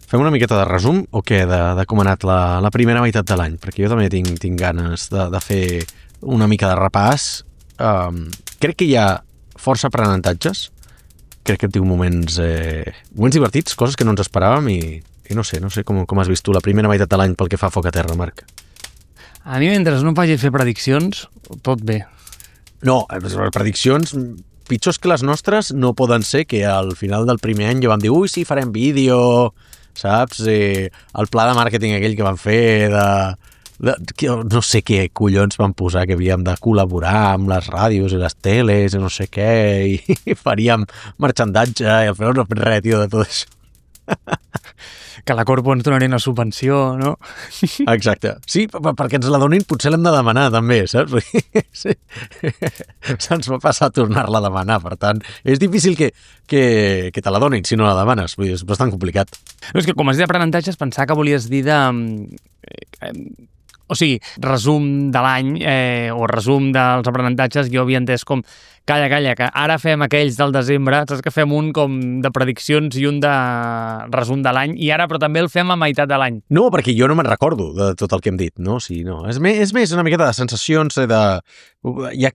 Fem una miqueta de resum o què, de com ha anat la primera meitat de l'any? Perquè jo també tinc ganes de fer una mica de repàs. Crec que hi ha força aprenentatges. Crec que hem tingut moments divertits, coses que no ens esperàvem i no sé com has vist tu la primera meitat de l'any pel que fa a Foc a Terra, Marc. A mi, mentre no em facis fer prediccions, tot bé. No, les prediccions pitjors que les nostres no poden ser que al final del primer any ja vam dir ui, sí, farem vídeo, saps? El pla de màrqueting aquell que van fer no sé què collons van posar que havíem de col·laborar amb les ràdios i les teles i no sé què i faríem marxandatge i al final no hem fet res, tio, de tot això. Que la Corpo ens donaria una subvenció, no? Exacte. Sí, perquè ens la donin potser l'hem de demanar també, saps? Sí. Se'ns va passar a tornar-la a demanar, per tant, és difícil que te la donin si no la demanes, vull dir, és bastant complicat. No, és que com has dit d'aprenentatges, pensava que volies dir de... O sigui, resum de l'any o resum dels aprenentatges, jo havia entès com calla, que ara fem aquells del desembre, saps que fem un com de prediccions i un de resum de l'any, i ara però també el fem a meitat de l'any. No, perquè jo no me'n recordo de tot el que hem dit, no? Sí, no. És més una miqueta de sensacions ja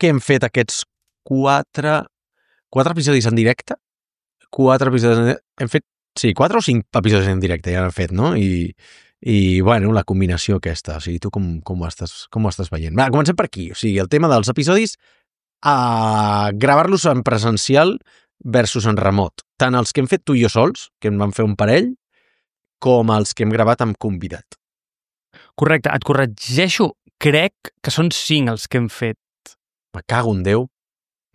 que hem fet aquests 4 episodis en directe, 4 episodis hem fet, sí, 4 o 5 episodis en directe ja hem fet, no? I bueno, la combinació aquesta, o sigui, tu com ho estàs veient? Va, comencem per aquí, o sigui, el tema dels episodis, gravar-los en presencial versus en remot. Tant els que hem fet tu i jo sols, que en vam fer un parell, com els que hem gravat amb convidat. Correcte, et corregeixo, crec que són 5 els que hem fet. Me cago en Déu.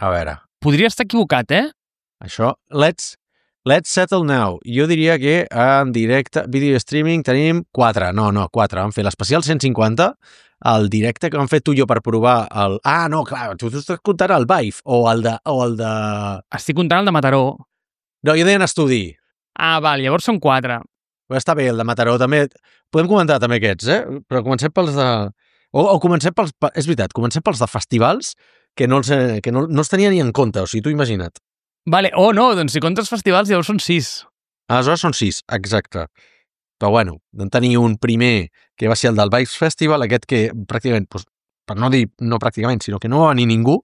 A veure. Podria estar equivocat, Això, let's settle now. Jo diria que en directe, vídeo streaming, tenim 4. No, 4. Vam fer l'especial 150, el directe que vam fer tu i jo per provar el... Ah, no, clar, tu estàs comptant el Vive o el de... Estic comptant el de Mataró. No, jo deia en estudi. Ah, val, llavors són 4. Però està bé, el de Mataró també... Podem comentar també aquests, Però comencem pels de... O comencem pels... És veritat, comencem pels de festivals que no els tenia ni en compte, o sigui, tu imagina't. Vale, no, doncs si comptes festivals llavors són 6. Aleshores són 6, exacte. Però bueno, vam tenir un primer que va ser el del Vibes Festival, aquest que pràcticament, doncs, per no dir no pràcticament, sinó que no va venir ningú,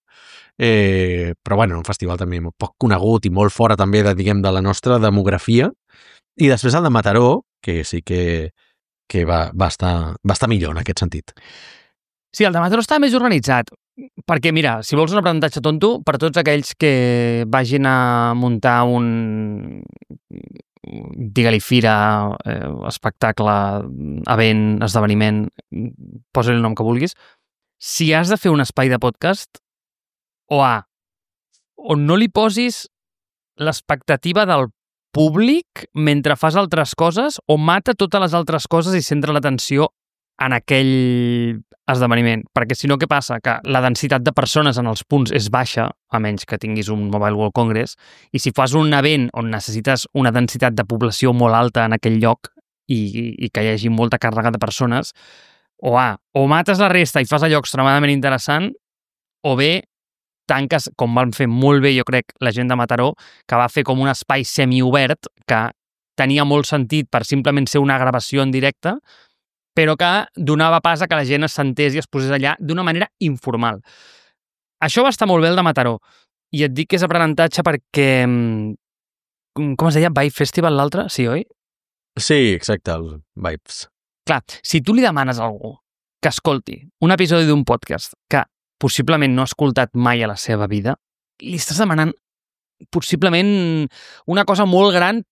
però bueno, un festival també poc conegut i molt fora també de la nostra demografia. I després el de Mataró, que sí que va estar millor en aquest sentit. Sí, el de Mataró està més organitzat. Perquè, mira, si vols un aprenentatge tonto, per tots aquells que vagin a muntar un, digue-li fira, espectacle, event, esdeveniment, posa-li el nom que vulguis, si has de fer un espai de podcast, o no li posis l'expectativa del públic mentre fas altres coses, o mata totes les altres coses i centra l'atenció en aquell esdeveniment, perquè si no, què passa? Que la densitat de persones en els punts és baixa, a menys que tinguis un Mobile World Congress, i si fas un event on necessites una densitat de població molt alta en aquell lloc i que hi hagi molta càrrega de persones, o mates la resta i fas allò extremadament interessant, o bé tanques, com van fer molt bé, jo crec, la gent de Mataró, que va fer com un espai semiobert que tenia molt sentit per simplement ser una gravació en directe, però que donava pas a que la gent es sentés i es posés allà d'una manera informal. Això va estar molt bé el de Mataró, i et dic que és aprenentatge perquè... Com es deia? Vibe Festival l'altre? Sí, oi? Sí, exacte, el Vibes. Clar, si tu li demanes a algú que escolti un episodi d'un podcast que possiblement no ha escoltat mai a la seva vida, li estàs demanant possiblement una cosa molt gran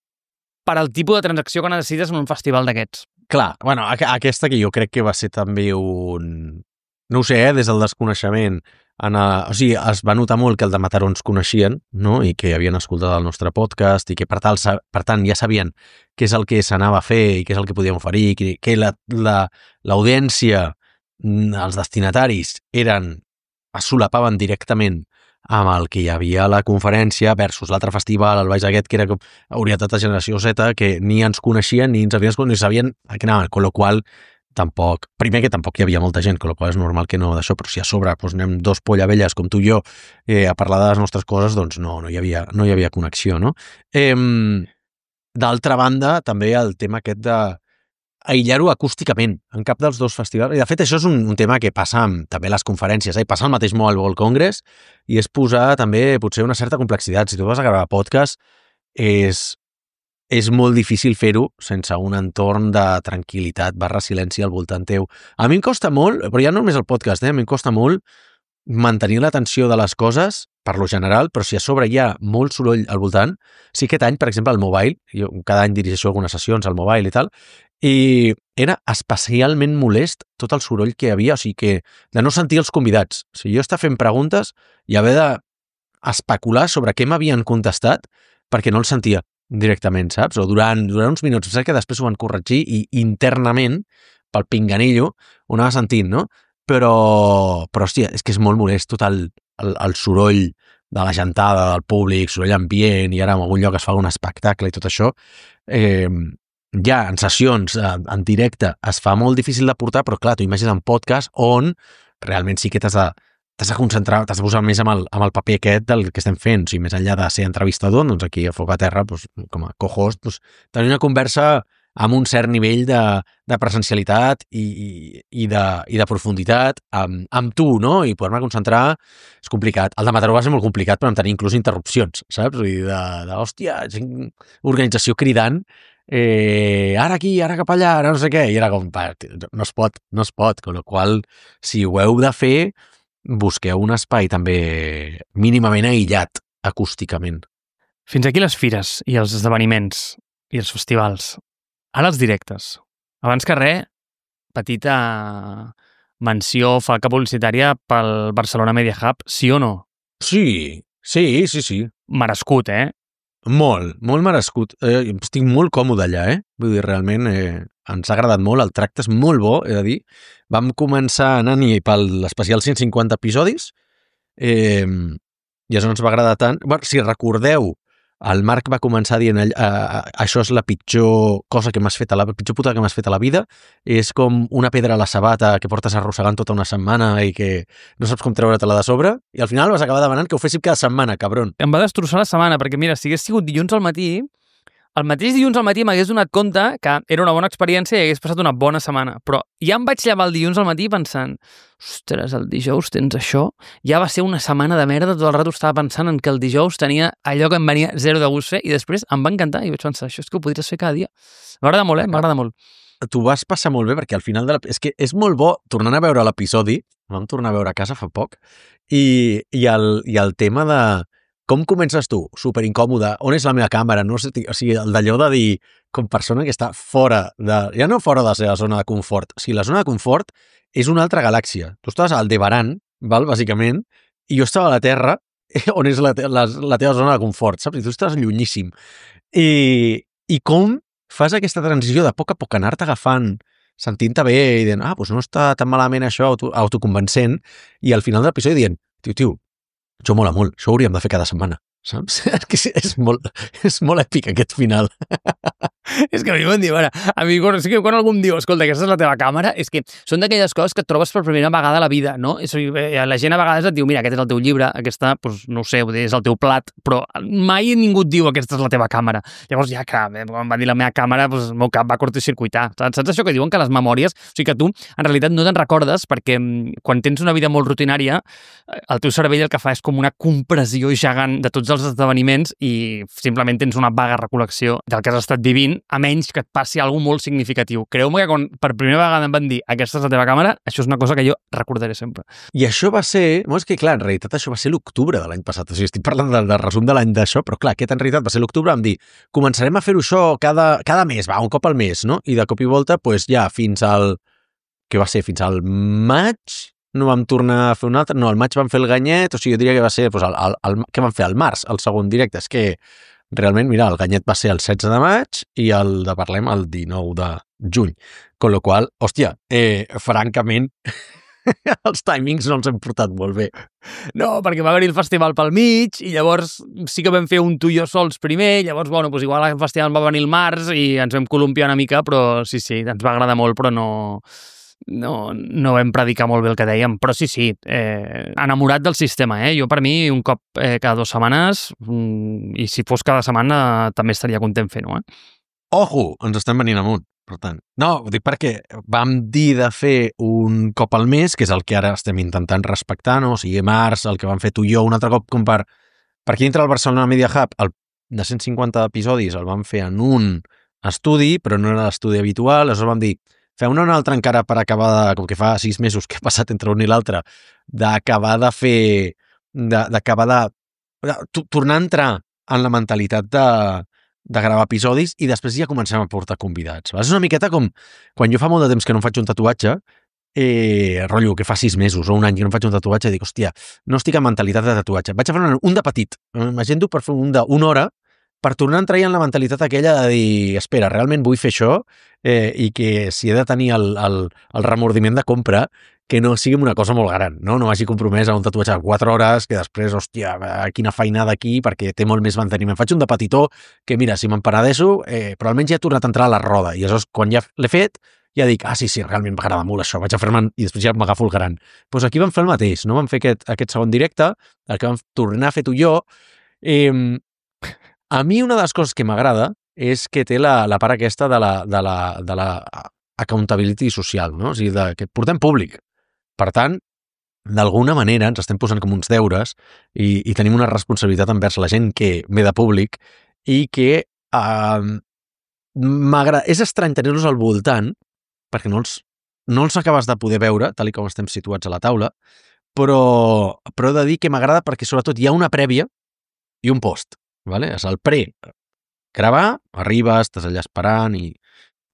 per al tipus de transacció que necessites en un festival d'aquests. Clar, bueno, aquesta que jo crec que va ser també un... No ho sé, des del desconeixement. O sigui, es va notar molt que el de Mataró ens coneixien, no? I que havien escoltat el nostre podcast i que, per tant, ja sabien què és el que s'anava a fer i què és el que podíem oferir, que l'audiència, els destinataris, es solapaven directament amb el que hi havia a la conferència versus l'altre festival, el Baix aquest, que era orientat a generació Z, que ni ens coneixien ni ens havien ni sabien a què anaven, con lo qual tampoc, primer que tampoc hi havia molta gent, con lo qual és normal que no d'això, però si a sobre anem 2 pollavelles com tu i jo a parlar de les nostres coses, doncs no hi havia connexió, no? d'altra banda, també el tema aquest de aïllar-ho acústicament en cap dels dos festivals. I de fet, això és un tema que passa amb també les conferències, passa al mateix Mobile World Congress i és posar també potser una certa complexitat. Si tu vas a gravar podcast, és molt difícil fer-ho sense un entorn de tranquil·litat / silenci al voltant teu. A mi em costa molt, però ja no només el podcast, a mi em costa molt mantenir l'atenció de les coses, per lo general, però si a sobre hi ha molt soroll al voltant, sí aquest any, per exemple, al Mobile, jo cada any dirigeixo algunes sessions al Mobile i tal, i era especialment molest tot el soroll que hi havia, o sigui que de no sentir els convidats. O sigui, jo estava fent preguntes i haver d'especular sobre què m'havien contestat perquè no els sentia directament, saps? O durant uns minuts, saps que després ho van corregir i internament, pel pinganillo, ho anava sentint, no? Però hòstia, és que és molt molest tot el soroll de la gentada, del públic, soroll ambient, i ara en algun lloc es fa un espectacle i tot això. Ja en sessions, en directe, es fa molt difícil de portar, però clar, tu imagines en podcast on realment sí que t'has de concentrar, t'has de posar més amb el paper aquest del que estem fent. O sigui, més enllà de ser entrevistador, doncs aquí a Foc a Terra, doncs, com a co-host, doncs, tenir una conversa amb un cert nivell de presencialitat i de profunditat amb tu, no? I poder-me concentrar és complicat. El de Mataró va ser molt complicat per tenir inclús interrupcions, saps? Vull dir, hòstia, organització cridant, ara aquí, ara cap allà, ara no sé què, i era com, no es pot, con la qual cosa, si ho heu de fer, busqueu un espai també mínimament aïllat acústicament. Fins aquí les fires i els esdeveniments i els festivals. Ara els directes. Abans que res, petita menció, falca publicitària pel Barcelona Media Hub, sí o no? Sí. Merescut, Molt merescut. Estic molt còmode allà, Vull dir, realment ens ha agradat molt, el tracte és molt bo, he de dir. Vam començar anant-hi per l'especial 150 episodis i això ens va agradar tant. Bueno, si recordeu, el Marc va començar dient això és la pitjor cosa que m'has fet, la pitjor puta que m'has fet a la vida, és com una pedra a la sabata que portes arrossegant tota una setmana i que no saps com treure-te-la de sobre, i al final vas acabar demanant que ho féssim cada setmana, cabron. Em va destrossar la setmana, perquè mira, si hagués sigut dilluns al matí, el mateix dilluns al matí m'hagués donat compte que era una bona experiència i hagués passat una bona setmana, però ja em vaig llevar el dilluns al matí pensant, ostres, el dijous tens això? Ja va ser una setmana de merda, tot el rato estava pensant en que el dijous tenia allò que em venia zero de gust fer i després em va encantar i vaig pensar, això és que ho podries fer cada dia. M'agrada molt, m'agrada molt. Tu vas passar molt bé perquè al final és que és molt bo tornant a veure l'episodi, vam tornar a veure a casa fa poc, i el tema de com comences tu? Super incòmode. On és la meva càmera? No sé, o sigui, d'allò de dir, com persona que està fora ja no fora de la seva zona de confort. O sigui, la zona de confort és una altra galàxia. Tu estaves al Aldebaran, bàsicament, i jo estava a la Terra, on és la teva zona de confort, saps? I tu estàs llunyíssim. I com fas aquesta transició de poc a poc anar-te agafant, sentint-te bé i dient, doncs no està tan malament això, autoconvencent, i al final de l'episodi dient, tio, això mola molt, això ho hauríem de fer cada setmana, saps? És molt èpic aquest final. És que a mi m'han dit, a mi quan algú em diu, escolta, aquesta és la teva càmera, és que són d'aquelles coses que et trobes per primera vegada a la vida, no? La gent a vegades et diu, mira, aquest és el teu llibre, aquesta, doncs, no ho sé, és el teu plat, però mai ningú et diu aquesta és la teva càmera. Llavors, ja, clar, quan va dir la meva càmera, doncs, el meu cap va curtcircuitar. Saps això que diuen que les memòries, o sigui que tu, en realitat, no te'n recordes perquè quan tens una vida molt rutinària, el teu cervell el que fa és com una compressió gegant de tots els esdeveniments i simplement tens una vaga recol·lecció del que has estat vivint, a menys que et passi alguna molt significatiu. Creu-me que quan per primera vegada em van dir aquesta és la teva càmera, això és una cosa que jo recordaré sempre. I això va ser... És que, clar, en realitat això va ser l'octubre de l'any passat. O sigui, estic parlant del resum de l'any d'això, però clar, aquest en realitat va ser l'octubre, vam dir, començarem a fer-ho això cada mes, un cop al mes, no? I de cop i volta, doncs ja, fins al... Què va ser? Fins al maig? No vam tornar a fer un altre? No, al maig vam fer el Ganyet, o sigui, jo diria que va ser... Què vam fer? Al març, el segon directe. És que realment, mira, el Ganyet va ser el 16 de maig i el de Parlem el 19 de juny. Con lo qual, hòstia, francament, els timings no els hem portat molt bé. No, perquè va haver-hi el festival pel mig i llavors sí que vam fer un tu i jo sols primer, llavors, bueno, doncs igual el festival va venir el març i ens vam columpiar una mica, però sí, ens va agradar molt, però no no vam predicar molt bé el que dèiem, però sí, enamorat del sistema, Jo, per mi, un cop cada 2 setmanes, i si fos cada setmana, també estaria content fent-ho, Ojo, ens estem venint amunt, per tant. No, ho dic perquè vam dir de fer un cop al mes, que és el que ara estem intentant respectar, no? O sigui, març, el que vam fer tu i jo un altre cop, com per aquí dintre el Barcelona Media Hub, el de 150 episodis el vam fer en un estudi, però no era l'estudi habitual, aleshores vam dir, fem un altre encara per acabar, com que fa 6 mesos que he passat entre un i l'altre, d'acabar de fer, tornar a entrar en la mentalitat de gravar episodis i després ja comencem a portar convidats. És una miqueta com quan jo fa molt de temps que no em faig un tatuatge, rotllo, que fa 6 mesos o un any que no em faig un tatuatge, dic, hòstia, no estic en mentalitat de tatuatge. Vaig a fer un de petit. M'agendo per fer un d'una hora per tornar a entrar en la mentalitat aquella de dir, espera, realment vull fer això i que si he de tenir el remordiment de compra, que no sigui una cosa molt gran, no m'hagi compromès a un tatuatge de 4 hores, que després, hòstia, quina feinada aquí, perquè té molt més manteniment. Faig un de petitó, que mira, si m'emparadeixo, però almenys ja he tornat a entrar a la roda, i aleshores, quan ja l'he fet, ja dic, sí, realment m'agrada molt això, vaig a fer-me'n, i després ja m'agafo el gran. Doncs aquí vam fer el mateix, no? Vam fer aquest segon directe, el que vam tornar a fer tu i jo. A mi una de les coses que m'agrada és que té la part aquesta de la accountability social, no? O sigui, que portem públic. Per tant, d'alguna manera ens estem posant com uns deures i tenim una responsabilitat envers la gent que ve de públic i que m'agrada. És estrany tenir-los al voltant perquè no els acabes de poder veure, tal com estem situats a la taula, però he de dir que m'agrada perquè sobretot hi ha una prèvia i un post. Vale? És el gravar, arribes, estàs allà esperant i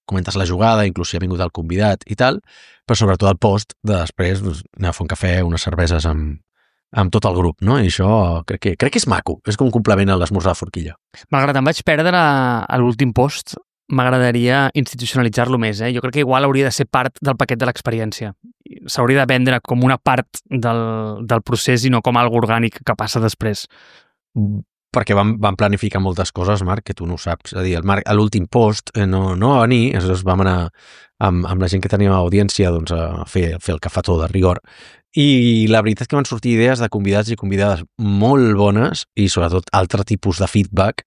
comentes la jugada, inclús si ha vingut el convidat i tal, però sobretot el post de després anar a fer un cafè, unes cerveses amb tot el grup, no? I això crec que és maco, és com un complement a l'esmorzar de forquilla. Malgrat em vaig perdre a l'últim post, m'agradaria institucionalitzar-lo més, Jo crec que igual hauria de ser part del paquet de l'experiència. S'hauria de vendre com una part del procés i no com algo orgànic que passa després. Perquè vam planificar moltes coses, Marc, que tu no ho saps. És a dir, el Marc, a l'últim post no va venir, aleshores vam anar amb la gent que teníem a audiència doncs, a fer el cafetó de rigor. I la veritat és que van sortir idees de convidats i convidades molt bones i sobretot altre tipus de feedback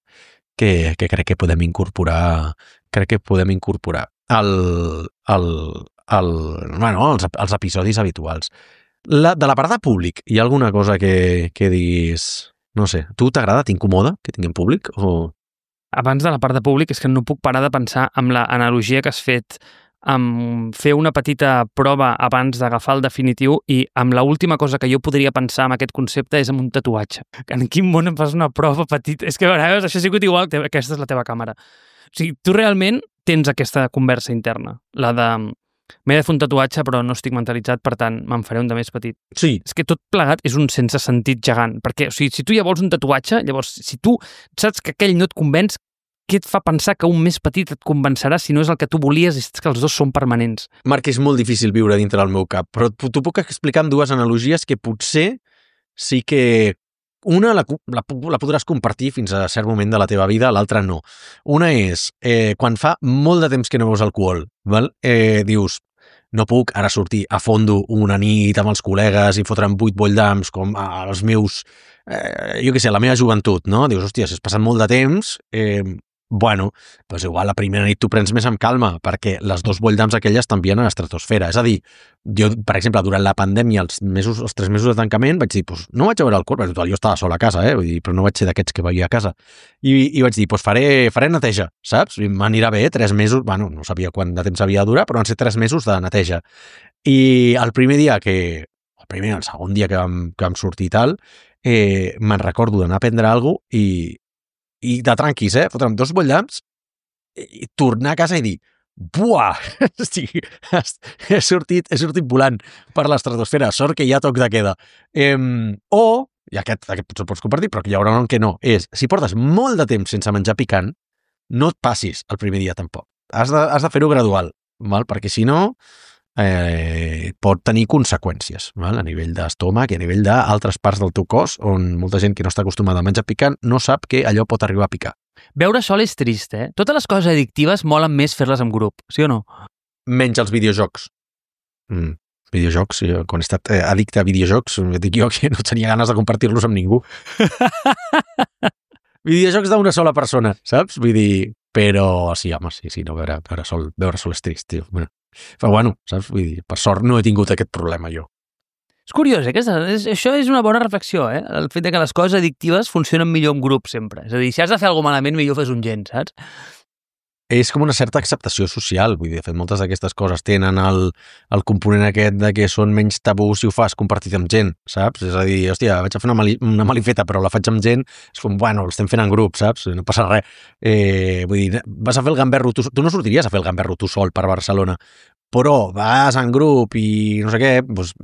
que crec que podem incorporar als episodis habituals. De la part de públic, hi ha alguna cosa que diguis... No sé, tu t'agrada, t'incomoda que tinguem públic? Abans de la part de públic és que no puc parar de pensar amb l'analogia que has fet amb fer una petita prova abans d'agafar el definitiu i amb l'última cosa que jo podria pensar en aquest concepte és amb un tatuatge. En quin món em fas una prova petita? És que a vegades això ha sigut igual que aquesta és la teva càmera. O sigui, tu realment tens aquesta conversa interna, la de m'he de fer un tatuatge però no estic mentalitzat, per tant me'n faré un de més petit. Sí. És que tot plegat és un sense sentit gegant, perquè o sigui, si tu ja vols un tatuatge, llavors si tu saps que aquell no et convenç, què et fa pensar que un més petit et convencerà si no és el que tu volies i és que els dos són permanents? Marc, és molt difícil viure dintre del meu cap, però t'ho puc explicar amb dues analogies que potser sí que una la podràs compartir fins a cert moment de la teva vida, l'altra no. Una és, quan fa molt de temps que no beus alcohol, val? Dius, no puc ara sortir a fondo una nit amb els col·legues i fotre'm 8 bolldams com els meus, jo què sé, la meva joventut, no? Dius, hòstia, si has passat molt de temps, bueno, doncs igual la primera nit t'ho prens més amb calma, perquè les 2 bolldams aquelles t'envien a l'estratosfera. És a dir, jo, per exemple, durant la pandèmia, els 3 mesos de tancament, vaig dir, doncs no vaig a veure alcohol, perquè total, jo estava sol a casa, vull dir, però no vaig ser d'aquests que vivia a casa. I vaig dir, doncs faré neteja, saps? M'anirà bé 3 mesos, bueno, no sabia quant de temps havia de durar, però van ser 3 mesos de neteja. I el segon dia que vam sortir i tal, me'n recordo d'anar a prendre alguna cosa i de tranquis, fotre'm 2 bolllams i tornar a casa i dir buah, he sortit volant per l'estratosfera, sort que hi ha toc de queda. I aquest potser pots compartir, però que hi haurà un que no, és, si portes molt de temps sense menjar picant, no et passis el primer dia tampoc. Has de fer-ho gradual, val? Perquè si no pot tenir conseqüències, val? A nivell d'estómac i a nivell d'altres parts del teu cos, on molta gent que no està acostumada a menjar picant no sap que allò pot arribar a picar. Beure sol és trist, Totes les coses addictives molen més fer-les en grup, sí o no? Menys els videojocs. Videojocs, quan he estat addicte a videojocs, dic jo que no tenia ganes de compartir-los amb ningú. Videojocs d'una sola persona, saps? Vull dir, però sí, home, sí, no, veure sol és trist, tio. Bueno, però bueno, saps? Vull dir, per sort no he tingut aquest problema jo. És curiós, això és una bona reflexió, el fet de que les coses addictives funcionen millor en grup sempre. És a dir, si has de fer alguna cosa malament, millor fes un gent, saps? És com una certa acceptació social, vull dir, de fet, moltes d'aquestes coses tenen el component aquest de que són menys tabú si ho fas compartit amb gent, saps? És a dir, hòstia, vaig a fer una malifeta, però la faig amb gent, és com, bueno, l'estem fent en grup, saps? No passa res. Vull dir, vas a fer el gamberro, tu no sortiries a fer el gamberro tu sol per Barcelona, però vas en grup i no sé què, doncs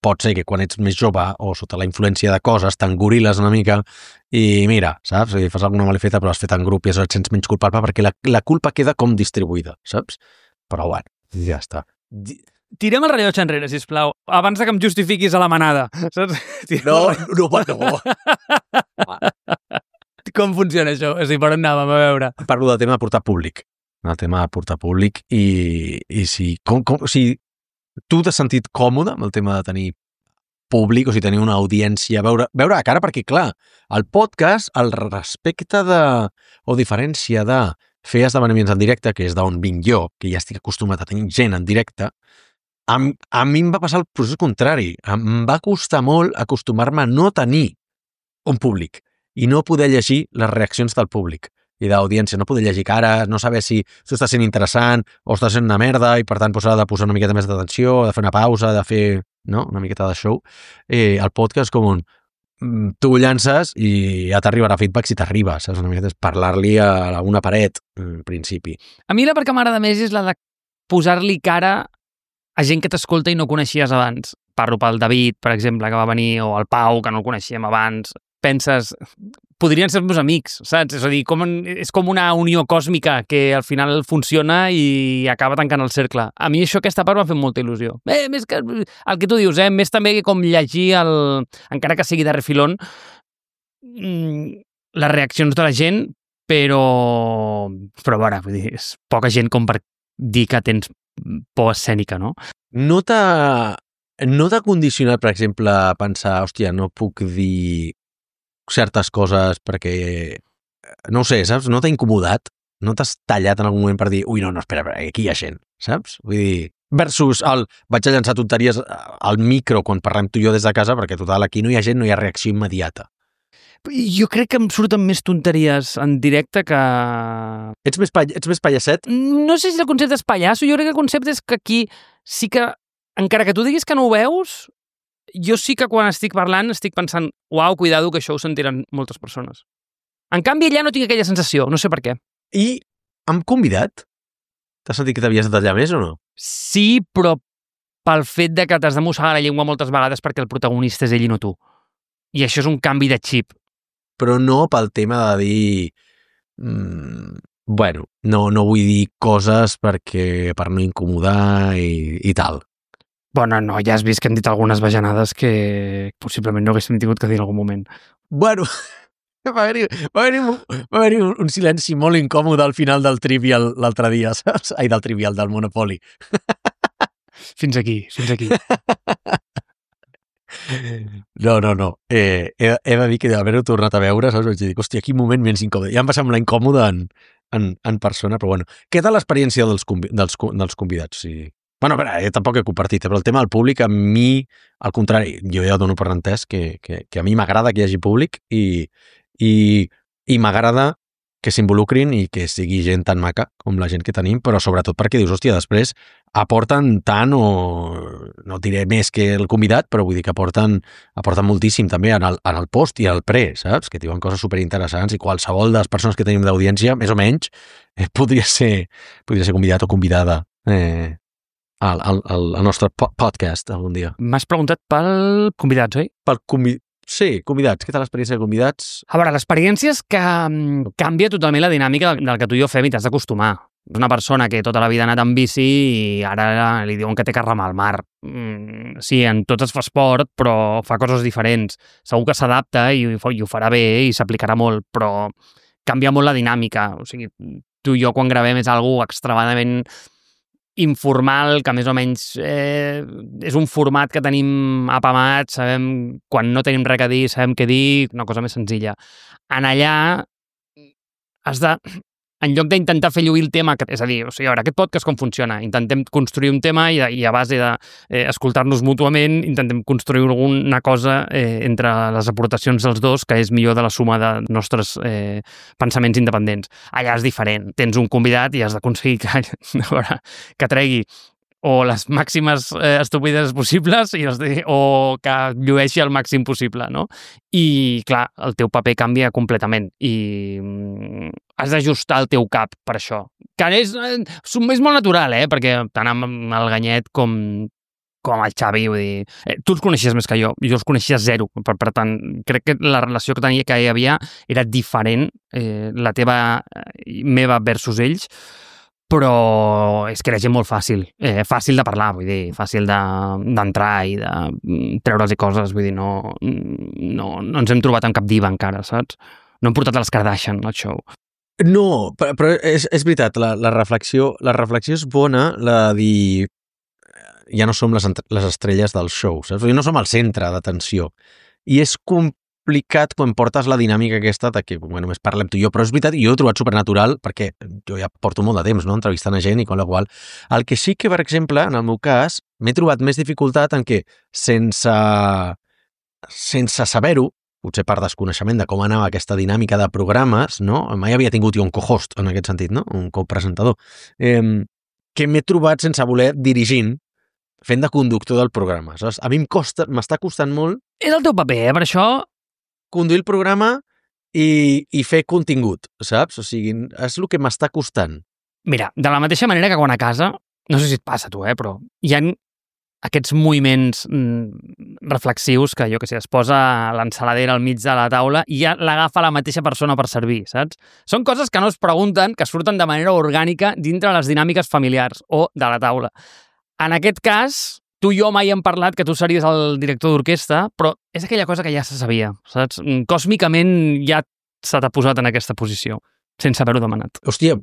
pot ser que quan ets més jove o sota la influència de coses t'engoriles una mica i mira, saps? I fas alguna malifeta però has fet en grup i et sents menys culpable perquè la culpa queda com distribuïda, saps? Però bueno, ja està. Tirem el rellotge enrere, sisplau, abans que em justifiquis a la manada, saps? No. Com funciona això? O sigui, per on anàvem a veure? Parlo del tema de portar públic. El tema de portar públic i si tu t'has sentit còmode amb el tema de tenir públic, o sigui, tenir una audiència, veure a cara, perquè, clar, el podcast, el respecte o diferència de fer esdeveniments en directe, que és d'on vinc jo, que ja estic acostumat a tenir gent en directe, a mi em va passar el procés contrari. Em va costar molt acostumar-me a no tenir un públic i no poder llegir les reaccions del públic i d'audiència, no poder llegir cares, no saber si això està sent interessant o està sent una merda i per tant s'ha de posar una miqueta més d'atenció, de fer una pausa, de fer una miqueta de show. El podcast com tu llances i ja t'arribarà feedback si t'arriba, saps? Una miqueta és parlar-li a una paret, en principi. A mi la part que m'agrada més és la de posar-li cara a gent que t'escolta i no coneixies abans. Parlo pel David, per exemple, que va venir, o el Pau, que no el coneixíem abans. Penses, podrien ser meus amics, saps? És a dir, és com una unió còsmica que al final funciona i acaba tancant el cercle. A mi aquesta part m'ha fet molta il·lusió. Més que el que tu dius, més també que com llegir, encara que sigui de refilón, les reaccions de la gent, però a veure, vull dir, és poca gent com per dir que tens por escènica, no? No t'ha condicionat, per exemple, a pensar, hòstia, no puc dir certes coses perquè, no ho sé, saps? No t'ha incomodat? No t'has tallat en algun moment per dir, ui, no, espera, aquí hi ha gent, saps? Vull dir, versus vaig a llançar tonteries al micro quan parlem tu i jo des de casa perquè, total, aquí no hi ha gent, no hi ha reacció immediata. Jo crec que em surten més tonteries en directe que... Ets més pallasset? No sé si el concepte és pallasso, jo crec que el concepte és que aquí sí que, encara que tu diguis que no ho veus, jo sí que quan estic parlant estic pensant, uau, cuidado, que això ho sentiran moltes persones. En canvi, allà no tinc aquella sensació, no sé per què. I hem convidat? T'has sentit que t'havies de tallar més o no? Sí, però pel fet de que t'has de mossegar la llengua moltes vegades perquè el protagonista és ell i no tu. I això és un canvi de xip. Però no pel tema de dir... bueno, no vull dir coses per no incomodar i tal. Bueno, no, ja has vist que hem dit algunes bajanades que possiblement no haguéssim tingut que dir en algun moment. Bueno, va haver-hi un silenci molt incòmode al final del Trivial l'altre dia, saps? Ai, del Trivial, del Monopoly. Fins aquí. No. He de dir que d'haver-ho tornat a veure, saps? Vaig dir, hòstia, quin moment menys incòmode. Ja em va semblar incòmode en persona, però bueno. Què tal l'experiència dels convidats? Sí. Bueno, a veure, tampoc he compartit, però el tema del públic, a mi, al contrari, jo ja dono per entès que a mi m'agrada que hi hagi públic i m'agrada que s'involucrin i que sigui gent tan maca com la gent que tenim, però sobretot perquè dius, hòstia, després aporten tant o no diré més que el convidat, però vull dir que aporten moltíssim també en el post i al pre, saps? Que diuen coses superinteressants i qualsevol de les persones que tenim d'audiència, més o menys, podria ser convidat o convidada al nostre podcast algun dia. M'has preguntat pel convidats, oi? Sí, convidats. Què tal l'experiència de convidats? A veure, l'experiència és que canvia totalment la dinàmica del que tu i jo fem i t'has d'acostumar. És una persona que tota la vida ha anat en bici i ara li diuen que té que remar al mar. Sí, en tot es fa esport, però fa coses diferents. Segur que s'adapta i ho farà bé i s'aplicarà molt, però canvia molt la dinàmica. O sigui, tu i jo quan gravem és algo extremadament informal, que més o menys és un format que tenim apamat, sabem quan no tenim res a dir, sabem què dir, una cosa més senzilla. En allà has de, en lloc d'intentar fer lluir el tema, és a dir, o sigui, a veure, aquest podcast com funciona? Intentem construir un tema i a base d'escoltar-nos mútuament intentem construir alguna cosa entre les aportacions dels dos que és millor de la suma de nostres pensaments independents. Allà és diferent. Tens un convidat i has d'aconseguir que tregui o les màximes estupides possibles o que llueixi el màxim possible, no? I, clar, el teu paper canvia completament i has d'ajustar el teu cap per això. Que és molt natural, perquè tant amb el Ganyet com el Xavi, vull dir, tu els coneixies més que jo els coneixia zero, per tant, crec que la relació que hi havia era diferent, la meva versus ells, però és que era gent molt fàcil de parlar, vull dir, fàcil d'entrar i de treure'ls coses, vull dir, no ens hem trobat amb cap diva encara, saps? No hem portat les Kardashian al show. No, però és veritat, la reflexió és bona, la de dir ja no som les estrelles del show, saps? No som el centre d'atenció. I és complicat quan portes la dinàmica aquesta de que només parlem tu i jo, però és veritat, jo ho he trobat supernatural perquè jo ja porto molt de temps, no?, entrevistant a gent i con la qual. El que sí que, per exemple, en el meu cas, m'he trobat més dificultat en què, sense saber-ho, potser per desconeixement de com anava aquesta dinàmica de programes, no? Mai havia tingut jo un co-host, en aquest sentit, no? Un copresentador. Que m'he trobat sense voler dirigint, fent de conductor del programa. Saps? A mi m'està costant molt... És el teu paper, per això... Conduir el programa i fer contingut, saps? O sigui, és el que m'està costant. Mira, de la mateixa manera que quan a casa, no sé si et passa a tu, però hi ha aquests moviments reflexius que, jo què sé, es posa l'ensaladera al mig de la taula i ja l'agafa la mateixa persona per servir, saps? Són coses que no es pregunten, que surten de manera orgànica dintre les dinàmiques familiars o de la taula. En aquest cas, tu i jo mai hem parlat que tu series el director d'orquestra, però és aquella cosa que ja se sabia, saps? Còsmicament ja se t'ha posat en aquesta posició, sense haver-ho demanat. Hòstia,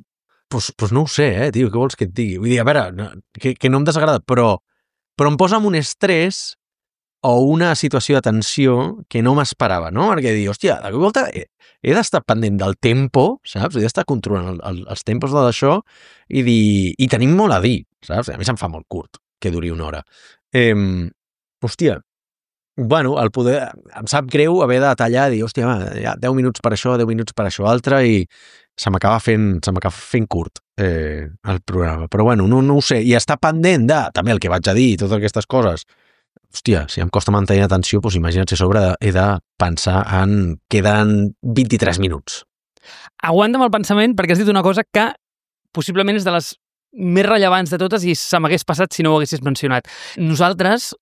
doncs no ho sé, tio, què vols que et digui? Vull dir, a veure, que no em desagrada, però em posa en un estrès o una situació de tensió que no m'esperava, no? Perquè dir, hòstia, de volta he d'estar pendent del tempo, saps? He d'estar controlant els tempos de d'això i dir, i tenim molt a dir, saps? A mi se'm fa molt curt que duri una hora. Hòstia, bueno, em sap greu haver de tallar i dir, hòstia, va, ja 10 minuts per això, 10 minuts per això altre i se m'acaba fent curt el programa. Però bueno, no ho sé. I està pendent de, també el que vaig a dir i totes aquestes coses. Hòstia, si em costa mantenir atenció, doncs imagina't si a sobre he de pensar en queden 23 minuts. Aguanta'm el pensament perquè has dit una cosa que possiblement és de les més rellevants de totes i se m'hagués passat si no ho haguessis mencionat. Nosaltres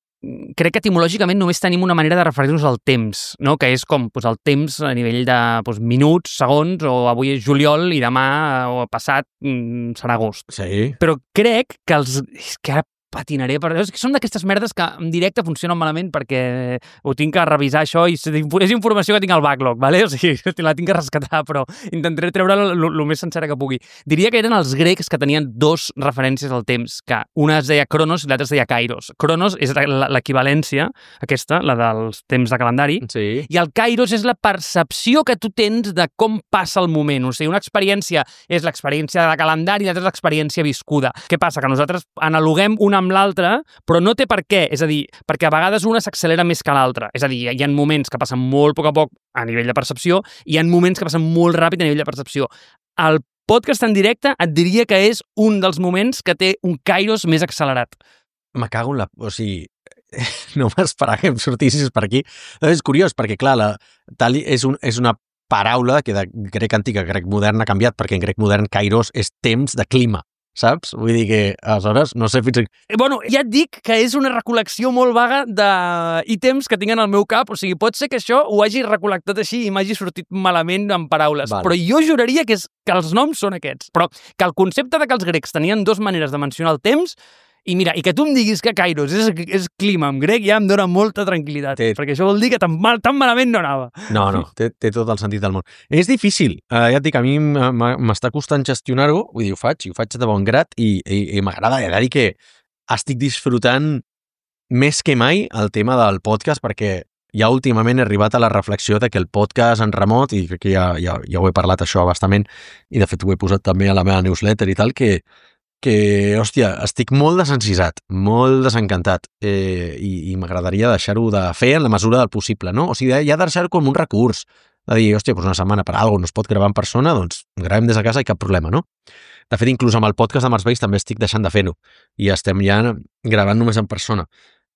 crec que etimològicament només tenim una manera de referir-nos al temps, no? Que és com el temps a nivell de minuts, segons, o avui és juliol i demà o passat serà agost. Sí. Però crec que és que ara patinaré, és que són d'aquestes merdes que en directe funcionen malament perquè ho tinc que revisar això i és informació que tinc al backlog, ¿vale? O sigui, la tinc que rescatar, però intentaré treure el més sencera que pugui. Diria que eren els grecs que tenien dos referències al temps, que una es deia Cronos i l'altra es deia Kairos. Cronos és l'equivalència, aquesta, la dels temps de calendari, sí. I el Kairos és la percepció que tu tens de com passa el moment. O sigui, una experiència és l'experiència de calendari i l'altra és l'experiència viscuda. Què passa? Que nosaltres analoguem una amb l'altra, però no té per què, és a dir, perquè a vegades una s'accelera més que l'altra, és a dir, hi ha moments que passen molt a poc a nivell de percepció i hi ha moments que passen molt ràpid a nivell de percepció. El podcast en directe et diria que és un dels moments que té un kairos més accelerat. Me cago en la... O sigui, no m'esperava que em sortissis per aquí. És curiós, perquè clar, tal és una paraula que de grec antic a grec modern ha canviat, perquè en grec modern kairos és temps de clima. Saps? Vull dir que, aleshores, no sé fins... Bueno, ja et dic que és una recol·lecció molt vaga d'ítems que tinc en el meu cap, o sigui, pot ser que això ho hagi recol·lectat així i m'hagi sortit malament en paraules, vale. Però jo juraria que els noms són aquests. Però que el concepte de que els grecs tenien dues maneres de mencionar el temps I mira, i que tu em diguis que Kairos és clima en grec ja em dona molta tranquil·litat, perquè això vol dir que tan malament no anava. No, té tot el sentit del món. És difícil, ja et dic, a mi m'està costant gestionar-ho, vull dir, ho faig de bon grat i m'agrada dir que estic disfrutant més que mai el tema del podcast, perquè ja últimament he arribat a la reflexió de que el podcast en remot, i crec que ja ho he parlat això bastament, i de fet ho he posat també a la meva newsletter i tal, que hòstia, estic molt desencisat, molt desencantat, i m'agradaria deixar-ho de fer en la mesura del possible, no? O sigui, ja deixar-ho com un recurs, de dir, hòstia, doncs una setmana per alguna cosa no es pot gravar en persona, doncs gravem des de casa i cap problema, no? De fet, inclús amb el podcast de Mars Veïs també estic deixant de fer-ho, i estem ja gravant només en persona,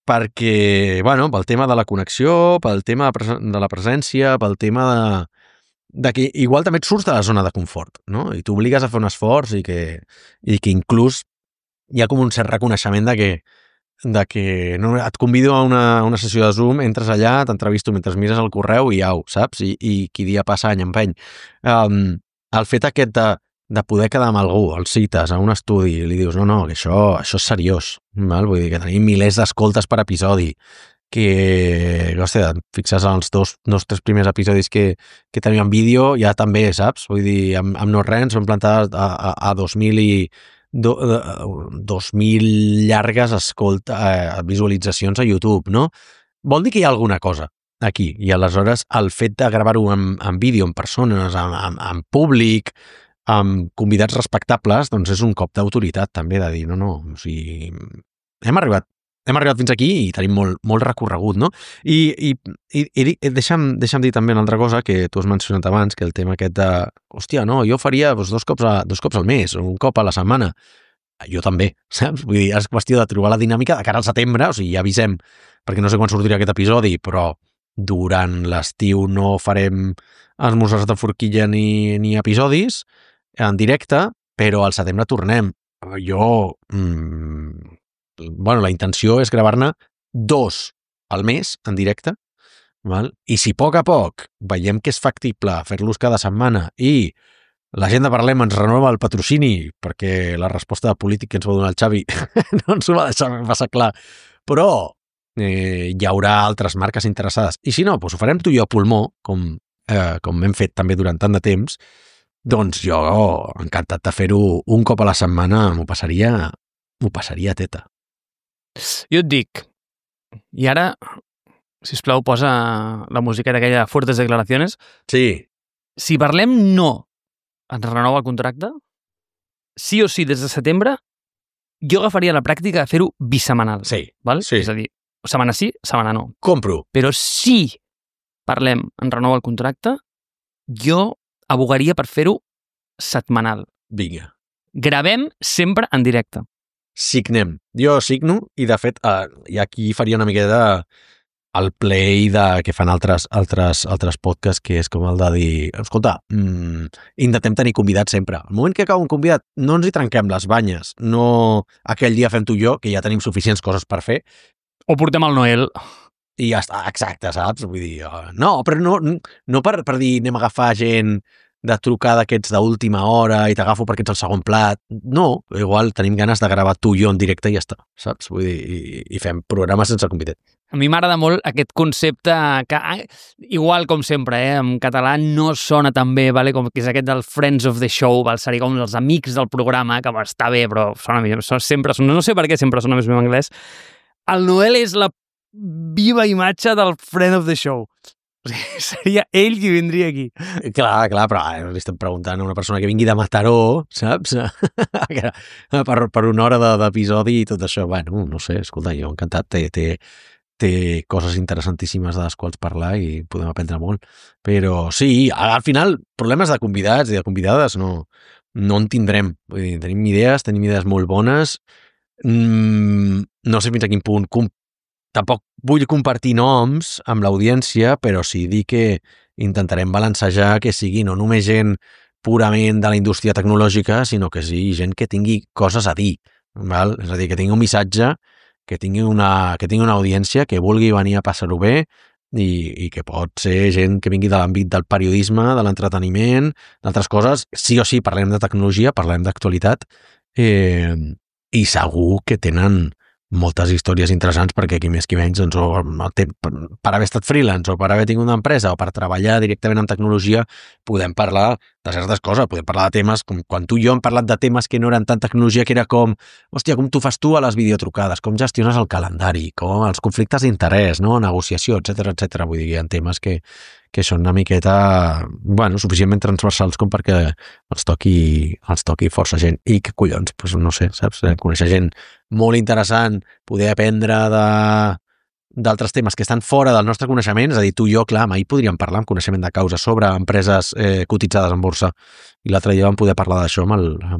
perquè, bueno, pel tema de la connexió, pel tema de la presència, pel tema de que igual també et surts de la zona de confort, no? I t'obligues a fer un esforç i que inclús hi ha com un cert reconeixement de que no, et convido a una sessió de Zoom, entres allà, t'entrevisto mentre mires el correu i au, saps? I qui dia passa any empeny. El fet aquest de poder quedar amb algú, el cites a un estudi i li dius, no, que això és seriós, val? Vull dir que tenim milers d'escoltes per episodi, que, hòstia, fixes els dos, tres primers episodis que tenim en vídeo, ja també, saps? Vull dir, amb no res, ens vam plantar a 2.000 llargues visualitzacions a YouTube, no? Vol dir que hi ha alguna cosa aquí, i aleshores el fet de gravar-ho en vídeo, en persones, en públic, amb convidats respectables, doncs és un cop d'autoritat també, de dir, no, o sigui, hem arribat fins aquí i tenim molt recorregut, no? I deixa'm dir també una altra cosa que tu has mencionat abans, que el tema aquest de, hòstia, no, jo faria dos cops al mes, o un cop a la setmana. Jo també, saps? Vull dir, és qüestió de trobar la dinàmica de cara al setembre, o sigui, ja avisem, perquè no sé quan sortirà aquest episodi, però durant l'estiu no farem esmorzars de forquilla ni episodis en directe, però al setembre tornem. Jo... bueno, la intenció és gravar-ne 2 al mes en directe, val? I si a poc veiem que és factible fer-los cada setmana i la gent de Parlem ens renova el patrocini, perquè la resposta de polític que ens va donar el Xavi no ens ho va deixar passar clar, però hi haurà altres marques interessades. I si no, doncs ho farem tu i jo a pulmó, com hem fet també durant tant de temps, doncs jo encantat de fer-ho un cop a la setmana, m'ho passaria teta. Jo et dic, i ara, sisplau, posa la musiqueta aquella de Fuertes Declaraciones. Sí. Si Parlem no ens renova el contracte, sí o sí des de setembre, jo agafaria la pràctica de fer-ho bisemanal. Sí. Val? Sí. És a dir, setmana sí, setmana no. Compro. Però si Parlem ens renova el contracte, jo abogaria per fer-ho setmanal. Vinga. Gravem sempre en directe. Signem. Jo signo i, de fet, i aquí faria una miqueta el play que fan altres podcasts, que és com el de dir, escolta, intentem tenir convidats sempre. Al moment que cau un convidat, no ens hi trenquem les banyes. No aquell dia fem tu i jo, que ja tenim suficients coses per fer. O portem el Noel. I ja està, exacte, saps? Vull dir, no, però no per dir anem a agafar gent de trucar d'aquests d'última hora i t'agafo perquè ets el segon plat. No, igual tenim ganes de gravar tu i jo en directe i ja està, saps? Vull dir, i fem programes sense convidat. A mi m'agrada molt aquest concepte que, igual com sempre, en català no sona tan bé, vale? Com que és aquest del Friends of the Show, seria com els amics del programa, que està bé, però no sé per què sempre sona més bé en anglès. El Noel és la viva imatge del Friend of the Show. O sigui, seria ell qui vindria aquí. Clar, però li estem preguntant a una persona que vingui de Mataró, saps? per una hora d'episodi i tot això. Bueno, no sé, escolta, jo encantat. Té coses interessantíssimes de les quals parlar i podem aprendre molt. Però sí, al final, problemes de convidats i de convidades no en tindrem. Vull dir, tenim idees molt bones. No sé fins a quin punt tampoc vull compartir noms amb l'audiència, però sí dir que intentarem balancejar que sigui no només gent purament de la indústria tecnològica, sinó que sigui gent que tingui coses a dir, val? És a dir, que tingui un missatge, que tingui una audiència que vulgui venir a passar-ho bé i que pot ser gent que vingui de l'àmbit del periodisme, de l'entreteniment, d'altres coses. Sí o sí, parlem de tecnologia, parlem d'actualitat, i segur que tenen moltes històries interessants perquè qui més qui menys doncs, per haver estat freelance o per haver tingut una empresa o per treballar directament amb tecnologia podem parlar de certes coses, podem parlar de temes com quan tu i jo hem parlat de temes que no eren tant tecnologia, que era com, hòstia, com tu fas tu a les videotrucades, com gestiones el calendari, com els conflictes d'interès, no? Negociació, etc. Vull dir, hi ha temes que són una miqueta, bueno, suficientment transversals com perquè els toqui força gent. I que collons, doncs no sé, saps? Conèixer gent molt interessant, poder aprendre d'altres temes que estan fora del nostre coneixement, és a dir, tu i jo, clar, mai podríem parlar amb coneixement de causa sobre empreses cotitzades en borsa. I l'altre dia vam poder parlar d'això amb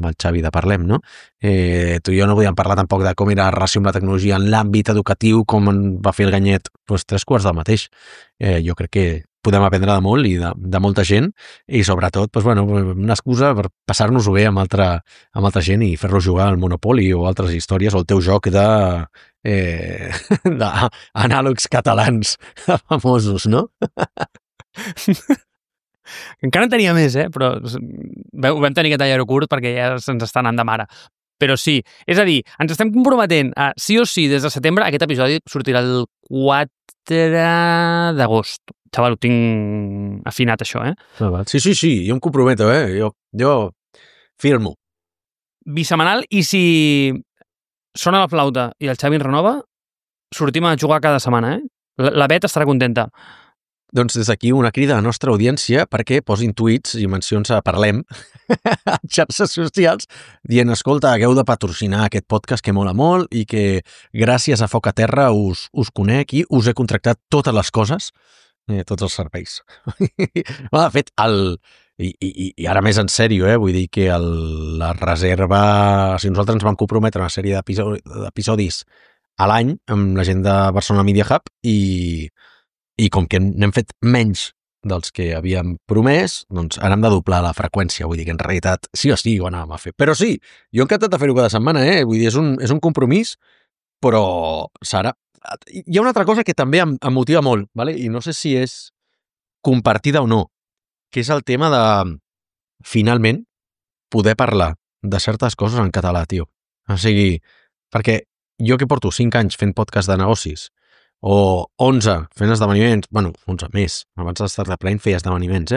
el Xavi de Parlem, no? Tu i jo no podíem parlar tampoc de com era la relació amb la tecnologia en l'àmbit educatiu, com en va fer el Ganyet, doncs 3/4 del mateix. Jo crec que podem aprendre de molt i de molta gent i sobretot, doncs, bueno, una excusa per passar-nos-ho bé amb altra gent i fer-los jugar al Monopoly o altres històries o el teu joc d'anàlegs catalans famosos, no? Encara en tenia més, però ho vam tenir que tallar-ho curt perquè ja se'ns està anant de mare. Però sí, és a dir, ens estem comprometent a, sí o sí, des de setembre, aquest episodi sortirà el 4 d'agost. Xaval, ho tinc afinat, això, Sí, jo em comprometo, jo firmo. Bisemanal, i si sona la flauta i el Xavi ens renova, sortim a jugar cada setmana, La Bet estarà contenta. Doncs des d'aquí una crida a la nostra audiència perquè posin tuits i mencions a Parlem a xarxes socials dient, escolta, hagueu de patrocinar aquest podcast que mola molt i que gràcies a Foc a Terra us conec i us he contractat totes les coses, tots els serveis. De fet, i ara més en sèrio, vull dir que la reserva, si nosaltres ens vam comprometre una sèrie d'episodis a l'any amb la gent de Barcelona Media Hub i com que n'hem fet menys dels que havíem promès, doncs ara hem de doblar la freqüència, vull dir que en realitat sí o sí ho anàvem a fer. Però sí, jo he encantat de fer-ho cada setmana, vull dir, és un compromís, però Sara, hi ha una altra cosa que també em motiva molt, ¿vale? I no sé si és compartida o no, que és el tema de, finalment, poder parlar de certes coses en català, tio. O sigui, perquè jo que porto 5 anys fent podcast de negocis, o 11 fent esdeveniments, bueno, 11 més, abans de Startup Line feia esdeveniments,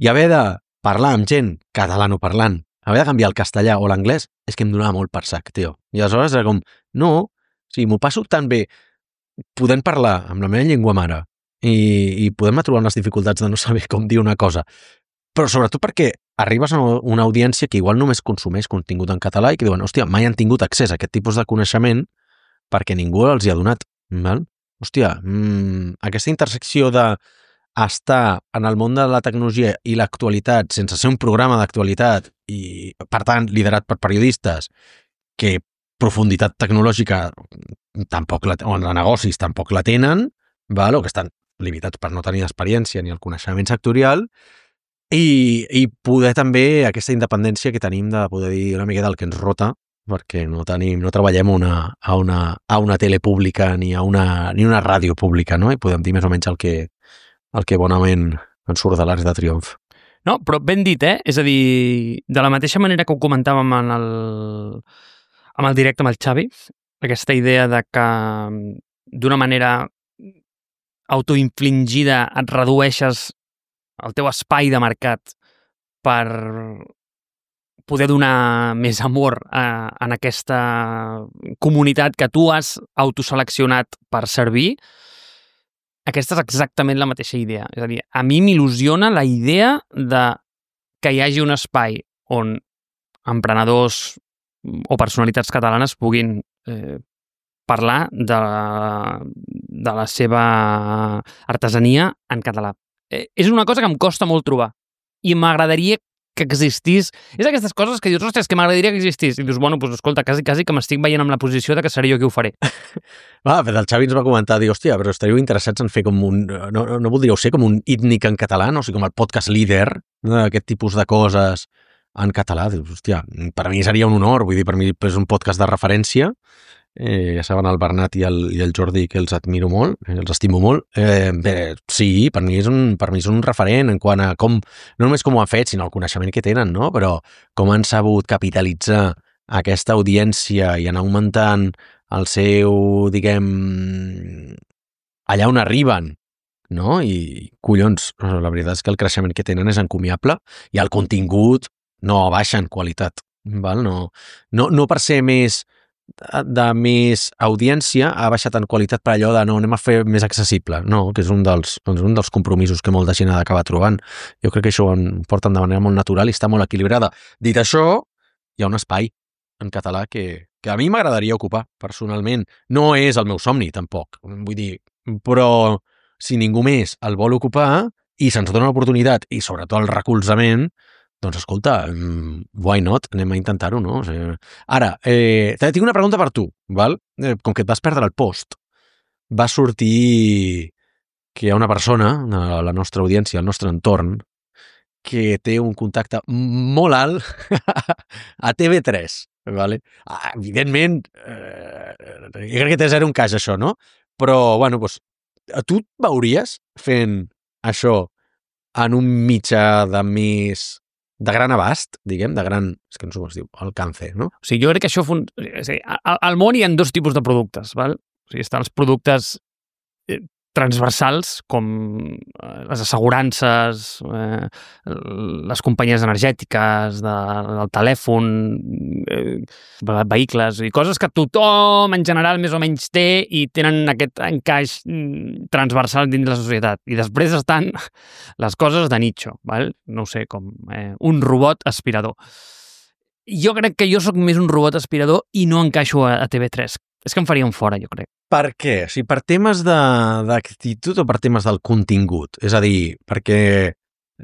i haver de parlar amb gent catalanoparlant, haver de canviar el castellà o l'anglès, és que em donava molt per sac, tio. I aleshores era com, no, o sigui, m'ho passo tan bé podent parlar amb la meva llengua mare i podem trobar unes dificultats de no saber com dir una cosa, però sobretot perquè arribes a una audiència que igual només consumeix contingut en català i que diuen, hòstia, mai han tingut accés a aquest tipus de coneixement perquè ningú els hi ha donat, val? Hòstia, aquesta intersecció d'estar en el món de la tecnologia i l'actualitat sense ser un programa d'actualitat i, per tant, liderat per periodistes que profunditat tecnològica tampoc o de negocis tampoc la tenen, val? O que estan limitats per no tenir experiència ni el coneixement sectorial i poder també aquesta independència que tenim de poder dir una mica del que ens rota perquè no treballem a una tele pública ni a una ràdio pública, no? I podem dir més o menys el que bonament ens surt de l'Arc de Triomf. No, però ben dit, És a dir, de la mateixa manera que ho comentàvem amb el directe amb el Xavi, aquesta idea de que d'una manera autoinfligida et redueixes el teu espai de mercat per poder donar més amor en aquesta comunitat que tu has autoseleccionat per servir, aquesta és exactament la mateixa idea. És a dir, a mi m'il·lusiona la idea de que hi hagi un espai on emprenedors o personalitats catalanes puguin parlar de la seva artesania en català. És una cosa que em costa molt trobar i m'agradaria que existís. És aquestes coses que dius, ostres, que m'agradaria que existís. I dius, bueno, doncs escolta, quasi que m'estic veient amb la posició de que seré jo qui ho faré. Però el Xavi ens va comentar, dir, hòstia, però estaríeu interessats en fer com un... No voldríeu ser com un ítnic en català, no? O sigui, com el podcast líder, aquest tipus de coses en català. Dius, hòstia, per mi seria un honor, vull dir, per mi és un podcast de referència. Ja saben el Bernat i el Jordi que els admiro molt, els estimo molt. Sí, per mi és un referent en quant a com, no només com ho han fet, sinó el coneixement que tenen, no? Però com han sabut capitalitzar aquesta audiència i anar augmentant el seu, diguem, allà on arriben, no? I, collons, la veritat és que el creixement que tenen és encomiable i el contingut no baixa en qualitat, val? No per ser més de més audiència ha baixat en qualitat per allò de no, anem a fer més accessible, no, que és un dels compromisos que molta gent ha d'acabar trobant. Jo crec que això ho porten de manera molt natural i està molt equilibrada. Dit això, hi ha un espai en català que a mi m'agradaria ocupar, personalment. No és el meu somni, tampoc. Vull dir, però si ningú més el vol ocupar i se'ns dona l'oportunitat i sobretot el recolzament, doncs escolta, why not? Anem a intentar-ho, no? O sigui, ara, tinc una pregunta per tu, val? Com que et vas perdre el post, va sortir que hi ha una persona, la nostra audiència, el nostre entorn, que té un contacte molt alt a TV3, vale? Evidentment, jo crec que té zero encaix això, no? Però, bueno, doncs, tu et veuries fent això en un mitjà de més de gran abast, diguem, de gran... És que no sé com es diu, alcance, no? O sigui, jo crec que això... Al món hi ha dos tipus de productes, val? O sigui, estan els productes transversals, com les assegurances, les companyies energètiques, del telèfon, vehicles, i coses que tothom en general més o menys té i tenen aquest encaix transversal dins la societat. I després estan les coses de nicho, val? No ho sé, com un robot aspirador. Jo crec que jo sóc més un robot aspirador i no encaixo a TV3. És que em farien fora, jo crec. Per què? O sigui, per temes d'actitud o per temes del contingut? És a dir, perquè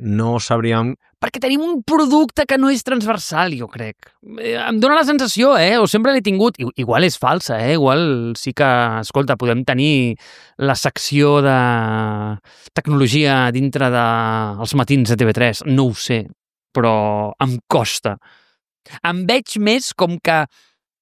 no sabríem... Perquè tenim un producte que no és transversal, jo crec. Em dóna la sensació, o sempre l'he tingut. Igual és falsa, igual sí que, escolta, podem tenir la secció de tecnologia dintre dels matins de TV3. No ho sé, però em costa. Em veig més com que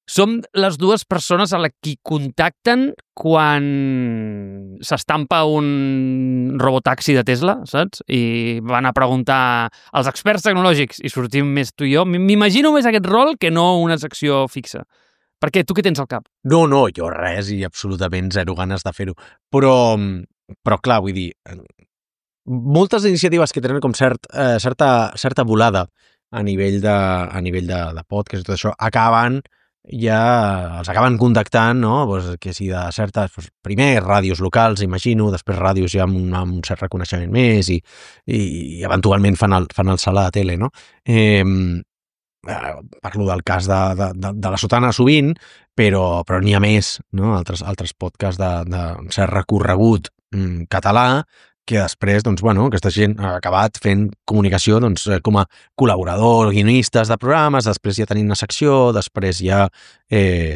som les dues persones a la qui contacten quan s'estampa un robotaxi de Tesla, saps? I van a preguntar als experts tecnològics i sortim més tu i jo. M'imagino més aquest rol que no una secció fixa. Perquè tu què tens al cap? No, jo res i absolutament zero ganes de fer-ho. Però clar, vull dir, moltes iniciatives que tenen com certa volada a nivell de podcast i tot això ja els acaben contactant, no? Pues, que si de certes... Pues, primer ràdios locals, imagino, després ràdios ja amb un cert reconeixement més i eventualment fan el salt a la tele, no? Parlo del cas de la Sotana sovint, però n'hi ha més, no? Altres podcasts de cert recorregut català que després, doncs, bueno, aquesta gent ha acabat fent comunicació, doncs, com a col·laborador, guionistes de programes, després ja tenint una secció, després ja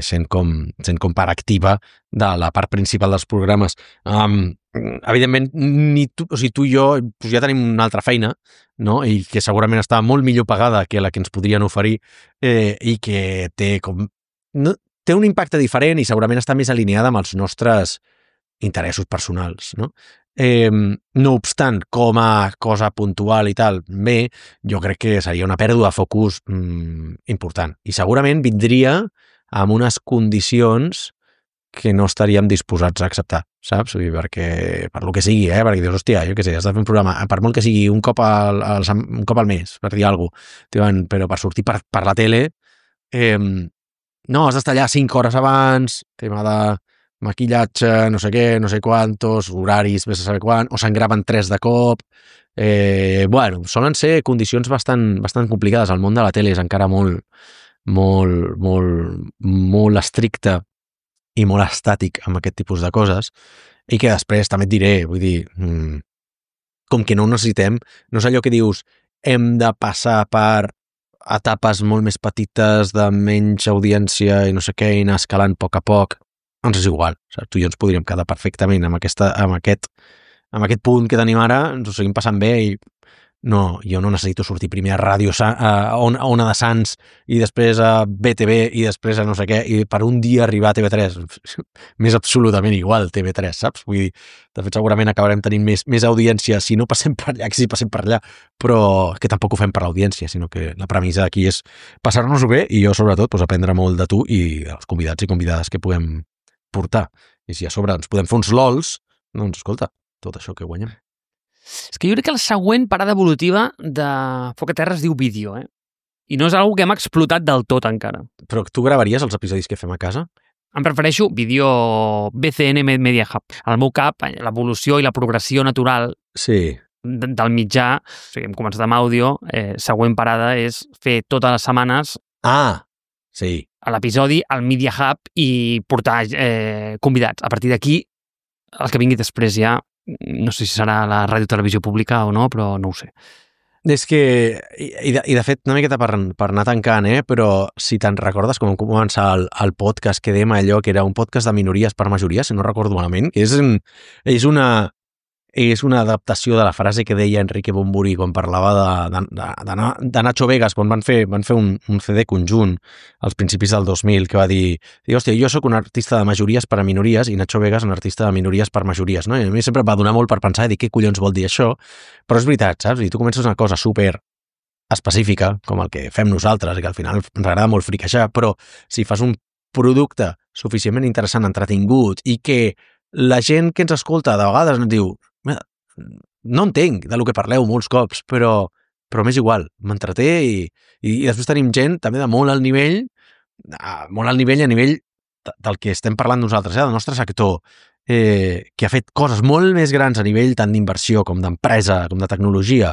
sent com part activa de la part principal dels programes. Evidentment, tu i jo doncs ja tenim una altra feina, no? I que segurament està molt millor pagada que la que ens podrien oferir i que té un impacte diferent i segurament està més alineada amb els nostres interessos personals, no? No obstant, com a cosa puntual i tal, bé, jo crec que seria una pèrdua de focus important. I segurament vindria amb unes condicions que no estaríem disposats a acceptar, saps? Perquè, per lo que sigui, perquè dius, hòstia, jo què sé, has de fer un programa, per molt que sigui un cop al mes, per dir alguna cosa, però per sortir per la tele, no, has d'estar allà 5 hores abans, tema de maquillatge, no sé què, no sé quantos, horaris, vés a saber quan, o se'n graven 3 de cop. Bueno, solen ser condicions bastant complicades. El món de la tele és encara molt estricte i molt estàtic amb aquest tipus de coses, i que després també et diré, vull dir, com que no ho necessitem, no és allò que dius, hem de passar per etapes molt més petites de menys audiència i no sé què, i anar escalant a poc a poc. Ens és igual, saps? Tu i jo ens podríem quedar perfectament amb aquest punt que tenim ara, ens ho seguim passant bé i No, jo no necessito sortir primer a Ràdio a Ona de Sants i després a BTV i després a no sé què, i per un dia arribar a TV3. M'és absolutament igual TV3, saps? Vull dir, de fet, segurament acabarem tenint més audiència si no passem per allà que si passem per allà, però que tampoc ho fem per l'audiència, sinó que la premissa d'aquí és passar-nos-ho bé i jo, sobretot, doncs, aprendre molt de tu i dels convidats i convidades que puguem portar. I si a sobre ens podem fer uns LOLs, doncs, escolta, tot això que guanyem. És que jo crec que la següent parada evolutiva de Foc a Terra es diu vídeo, I no és una que hem explotat del tot encara. Però tu gravaries els episodis que fem a casa? Em prefereixo vídeo BCN Media Hub. Al meu cap, l'evolució i la progressió natural del mitjà, o sigui, hem començat amb àudio, següent parada és fer totes les setmanes a l'episodi al Media Hub i portar convidats. A partir d'aquí, el que vingui després ja, no sé si serà la ràdio televisió pública o no, però no ho sé. És que, i de fet, una miqueta per anar tancant, però si te'n recordes com vam començar el podcast que dèiem allò, que era un podcast de minories per majories, si no recordo malament, és una adaptació de la frase que deia Enrique Bumburi quan parlava de Nacho Vegas, quan van fer un CD conjunt als principis del 2000, que va dir, hòstia, jo sóc un artista de majories per a minories i Nacho Vegas un artista de minories per majories, no? I a mi sempre va donar molt per pensar i dir què collons vol dir això, però és veritat, saps? I tu comences una cosa super específica, com el que fem nosaltres, i que al final ens agrada molt friquejar, però si fas un producte suficientment interessant, entretingut, i que la gent que ens escolta de vegades ens diu no entenc del que parleu molts cops, però m'és igual, m'entreté i després tenim gent també de molt alt nivell a nivell del que estem parlant nosaltres, del nostre sector, que ha fet coses molt més grans a nivell tant d'inversió com d'empresa, com de tecnologia,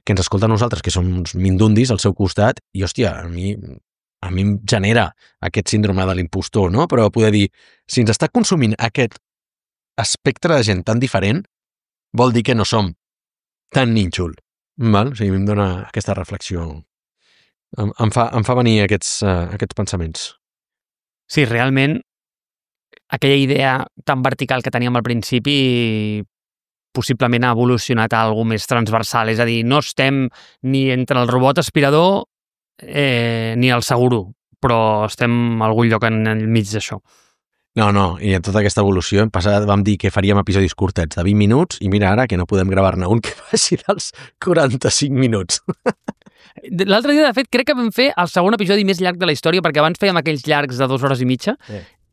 que ens escolta a nosaltres, que som uns mindundis al seu costat, i hòstia, a mi em genera aquest síndrome de l'impostor, no? Però poder dir, si ens està consumint aquest espectre de gent tan diferent, vol dir que no som tan nínxol. Val? O sigui, em dona aquesta reflexió. Em fa venir aquests pensaments. Sí, realment, aquella idea tan vertical que teníem al principi possiblement ha evolucionat a alguna més transversal. És a dir, no estem ni entre el robot aspirador ni el seguro, però estem a algun lloc enmig d'això. No, i en tota aquesta evolució vam dir que faríem episodis curtets de 20 minuts i mira ara que no podem gravar-ne un que faci dels 45 minuts. L'altre dia, de fet, crec que vam fer el segon episodi més llarg de la història, perquè abans fèiem aquells llargs de 2 hores i mitja,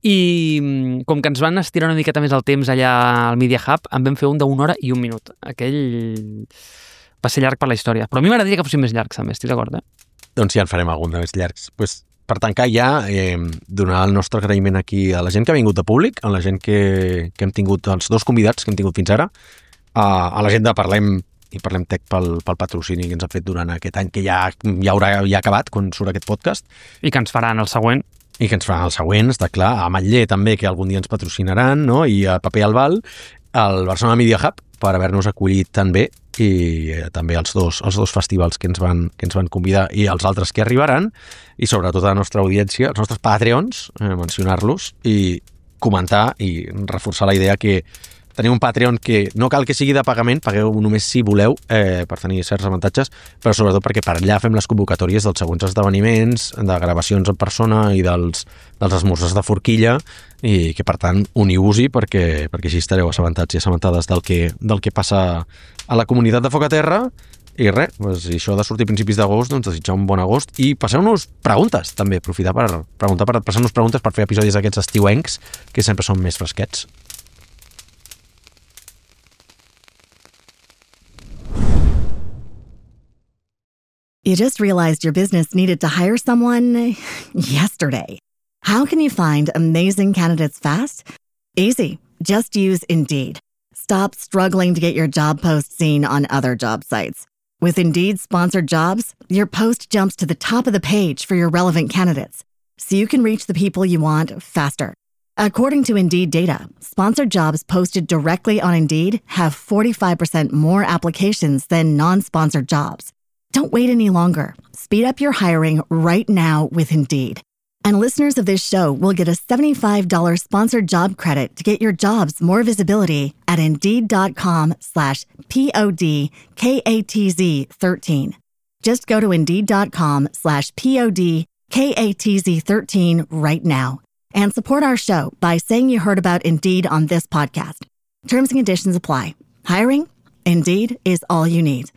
i com que ens van estirar una miqueta més el temps allà al Media Hub, en vam fer un d'1 hora i 1 minut. Aquell va ser llarg per la història. Però a mi m'agradaria que fossin més llargs, també, estic d'acord, Doncs ja en farem algun de més llargs. Per tancar ja, donar el nostre agraïment aquí a la gent que ha vingut de públic, a la gent que hem tingut, els 2 convidats que hem tingut fins ara, a la gent de Parlem Tech pel patrocini que ens ha fet durant aquest any, que ja haurà acabat quan surt aquest podcast. I que ens faran el següent. I que ens faran el següent, està clar. A Matller també, que algun dia ens patrocinaran, no? I a Paper Albal, al Barcelona Media Hub, per haver-nos acollit tan bé, i també els dos festivals que ens van convidar i els altres que arribaran, i sobretot a la nostra audiència, els nostres Patreons, mencionar-los i comentar i reforçar la idea que tenim un Patreon que no cal que sigui de pagament, pagueu només si voleu per tenir certs avantatges, però sobretot perquè per allà fem les convocatòries dels següents esdeveniments, de gravacions en persona i dels esmorzars de forquilla, i que per tant uniu-vos-hi perquè així estareu assabentats i assabentades del que passa a la comunitat de Foc a Terra. I res, si això ha de sortir a principis d'agost, doncs desitjar un bon agost i passeu-nos preguntes també, aprofitar per passar-nos preguntes per fer episodis d'aquests estiuencs que sempre són més fresquets. You just realized your business needed to hire someone yesterday. How can you find amazing candidates fast? Easy. Just use Indeed. Stop struggling to get your job post seen on other job sites. With Indeed sponsored jobs, your post jumps to the top of the page for your relevant candidates, so you can reach the people you want faster. According to Indeed data, sponsored jobs posted directly on Indeed have 45% more applications than non-sponsored jobs. Don't wait any longer. Speed up your hiring right now with Indeed. And listeners of this show will get a $75 sponsored job credit to get your jobs more visibility at Indeed.com/PODKATZ13. Just go to Indeed.com/PODKATZ13 right now and support our show by saying you heard about Indeed on this podcast. Terms and conditions apply. Hiring? Indeed is all you need.